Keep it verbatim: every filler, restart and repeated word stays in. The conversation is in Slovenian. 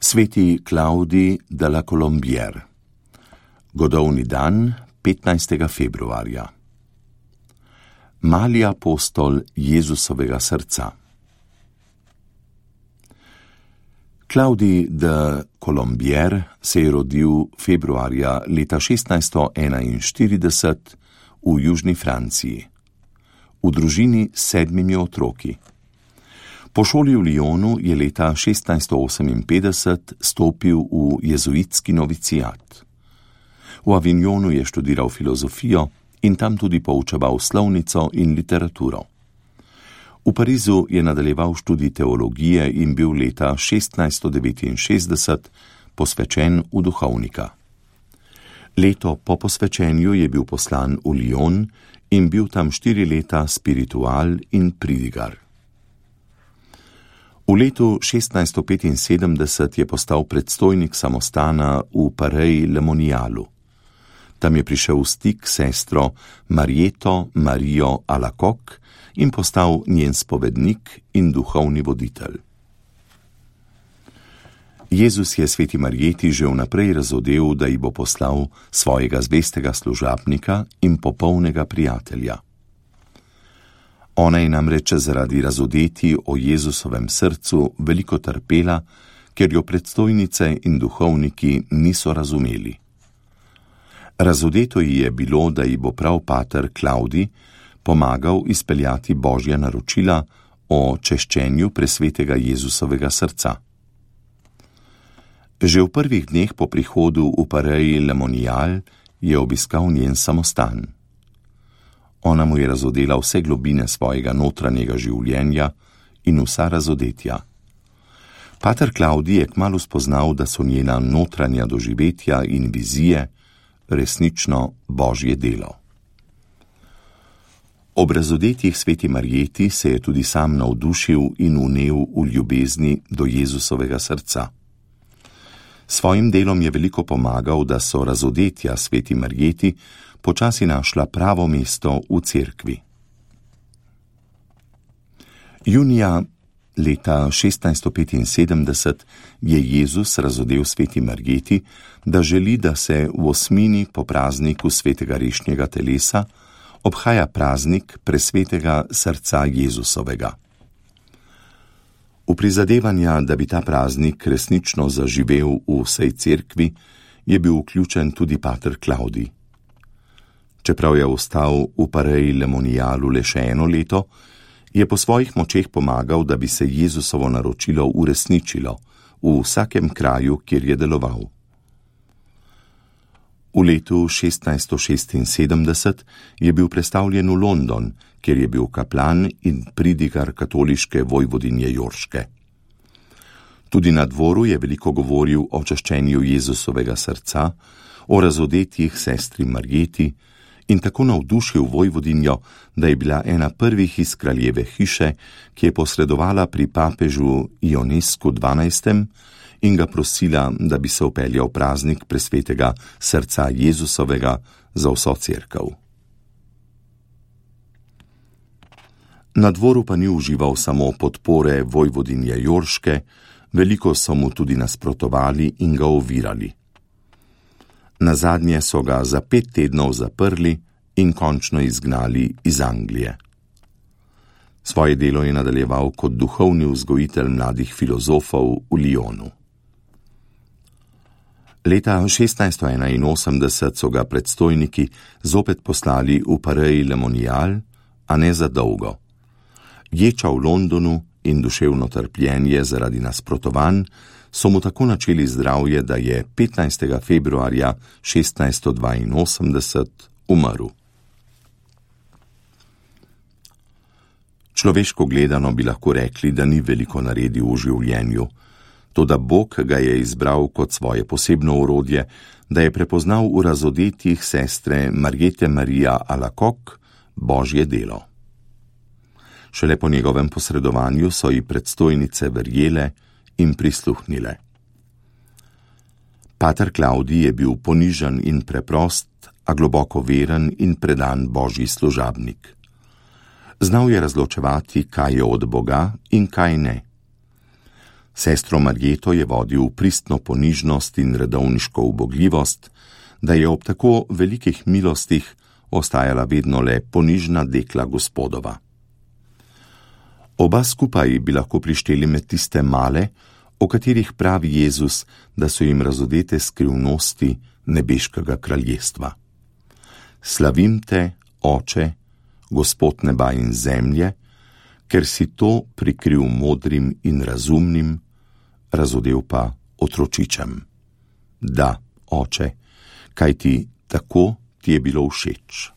Sveti Klavdij de la Colombière. Godovni dan petnajstega februarja. Mali apostol Jezusovega srca. Klavdij de Colombière se je rodil februarja leta šestnajststo enainštirideset v južni Franciji, v družini s sedmimi otroki. Po šoli v Lyonu je leta šestnajststo oseminpetdeset stopil v jezuitski novicijat. V Avignonu je študiral filozofijo in tam tudi poučeval slovnico in literaturo. V Parizu je nadaljeval študij teologije in bil leta šestnajststo devetinšestdeset posvečen v duhovnika. Leto po posvečenju je bil poslan v Lyon in bil tam štiri leta spiritual in pridigar. V letu šestnajststo petinsedemdeset je postal predstojnik samostana v Pareil-le-Monialu. Tam je prišel v stik s sestro Marieto Marijo Alacoque in postal njen spovednik in duhovni voditelj. Jezus je sveti Marjeti že vnaprej razodel, da ji bo poslal svojega zvestega služabnika in popolnega prijatelja. Ona je namreč zaradi razodeti o Jezusovem srcu veliko trpela, ker jo predstojnice in duhovniki niso razumeli. Razodeto ji je bilo, da ji bo prav pater Klavdij pomagal izpeljati božja naročila o češčenju presvetega Jezusovega srca. Že v prvih dneh po prihodu v Pareil-le-Monial je obiskal njen samostan. Ona mu je razodela vse globine svojega notranjega življenja in vsa razodetja. Pater Klavdij je kmalu spoznal, da so njena notranja doživetja in vizije resnično božje delo. Ob razodetjih sveti Marjeti se je tudi sam navdušil in vnel v ljubezni do Jezusovega srca. Svojim delom je veliko pomagal, da so razodetja sveti Marjeti počasi našla pravo mesto v cerkvi. Junija leta šestnajststo petinsedemdeset je Jezus razodel sveti Marjeti, da želi, da se v osmini po prazniku svetega rešnjega telesa obhaja praznik presvetega srca Jezusovega. V prizadevanja, da bi ta praznik resnično zaživel v vsej cerkvi, je bil vključen tudi pater Klavdij. Čeprav je ostal v Pareil-le-Monialu le še eno leto, je po svojih močeh pomagal, da bi se Jezusovo naročilo uresničilo v vsakem kraju, kjer je deloval. V letu šestnajststo šestinsedemdeset je bil prestavljen v London, kjer je bil kaplan in pridigar katoliške vojvodinje Jorške. Tudi na dvoru je veliko govoril o čaščenju Jezusovega srca, o razodetjih sestri Marjeti in tako navdušil vojvodinjo, da je bila ena prvih iz kraljeve hiše, ki je posredovala pri papežu Ionescu dvanajstem in ga prosila, da bi se upeljal praznik presvetega srca Jezusovega za vso cerkev. Na dvoru pa ni užival samo podpore vojvodinje Jorške, veliko so mu tudi nasprotovali in ga ovirali. Nazadnje so ga za pet tednov zaprli in končno izgnali iz Anglije. Svoje delo je nadaljeval kot duhovni vzgojitelj mladih filozofov v Lyonu. Leta šestnajststo enainosemdeset so ga predstojniki zopet poslali v Pareil-le-Monial, a ne za dolgo. Ječa v Londonu in duševno trpljenje zaradi nasprotovanj so mu tako načeli zdravje, da je petnajstega februarja šestnajststo dvainosemdeset umrl. Človeško gledano bi lahko rekli, da ni veliko naredil v življenju, toda Bog ga je izbral kot svoje posebno orodje, da je prepoznal v razodetjih sestre Marjete Marija Alacoque božje delo. Šele po njegovem posredovanju so ji predstojnice verjele in prisluhnile. Pater Klavdij je bil ponižen in preprost, a globoko veren in predan božji služabnik. Znal je razločevati, kaj je od Boga in kaj ne. Sestro Marjeto je vodil v pristno ponižnost in redovniško ubogljivost, da je ob tako velikih milostih ostajala vedno le ponižna dekla Gospodova. Oba skupaj bi lahko prišteli med tiste male, o katerih pravi Jezus, da so jim razodete skrivnosti nebeškega kraljestva. Slavim te, Oče, Gospod neba in zemlje, ker si to prikril modrim in razumnim, razodel pa otročičem. Da, Oče, kajti tako ti je bilo všeč.